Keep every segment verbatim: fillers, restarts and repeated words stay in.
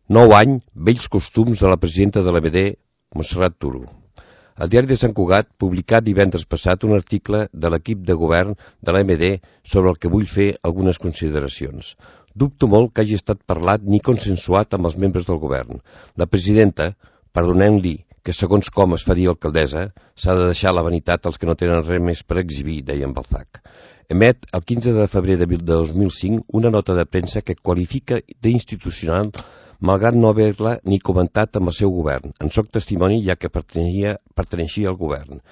Nou any, vells costums de la presidenta de l'A M D, Montserrat Turo. El diari de Sant Cugat publicat divendres passat un article de l'equip de govern de l'A M D sobre el que vull fer algunes consideracions. Dubto molt que hagi estat parlat ni consensuat amb els membres del govern. La presidenta, perdoneu-li que segons com es fa dir alcaldessa, s'ha de deixar la vanitat als que no tenen res més per exhibir, deia en Balzac. Emet el quinze de febrer de dos mil cinc una nota de premsa que qualifica d'institucional malgrat no haver-la ni comentat amb el seu govern. En soc testimoni ja que perteneixia, perteneixia al govern.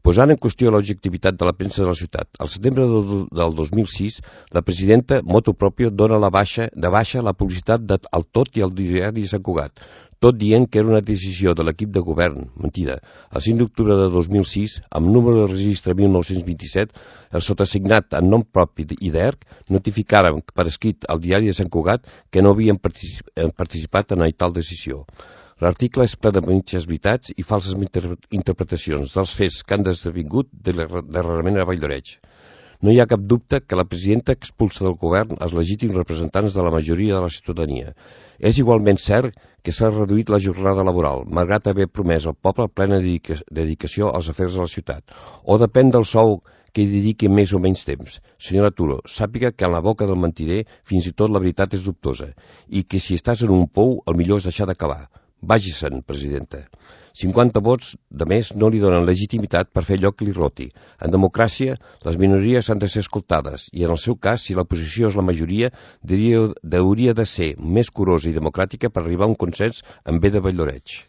Posant en qüestió l'objectivitat de la premsa de la ciutat, al setembre del dos mil sis, la presidenta, motu proprio, dona la baixa, de baixa la publicitat de El Tot i el diari de Sant Cugat, tot dient que era una decisió de l'equip de govern. Mentida. El cinc d'octubre de dos mil sis, amb número de registre mil nou-cents vint-i-set, el sotassignat en nom propi i d'E R C notificaren per escrit al diari de Sant Cugat que no havien participat en tal decisió. L'article és ple de mitges veritats i falses interpretacions dels fets que han esdevingut darrerament a Valldoreix. No hi ha cap dubte que la presidenta expulsa del govern els legítims representants de la majoria de la ciutadania. És igualment cert que s'ha reduït la jornada laboral, malgrat haver promès al poble plena dedicació als afers de la ciutat. O depèn del sou que hi dediqui més o menys temps. Senyora Turo, sàpiga que en la boca del mentider fins i tot la veritat és dubtosa i que si estàs en un pou el millor és deixar d'acabar. Vagi-se'n, presidenta. cinquanta vots de més no li donen legitimitat per fer allò que li roti. En democràcia, les minories han de ser escoltades i, en el seu cas, si l'oposició és la majoria, hauria de ser més curosa i democràtica per arribar a un consens en bé de Valldoreix.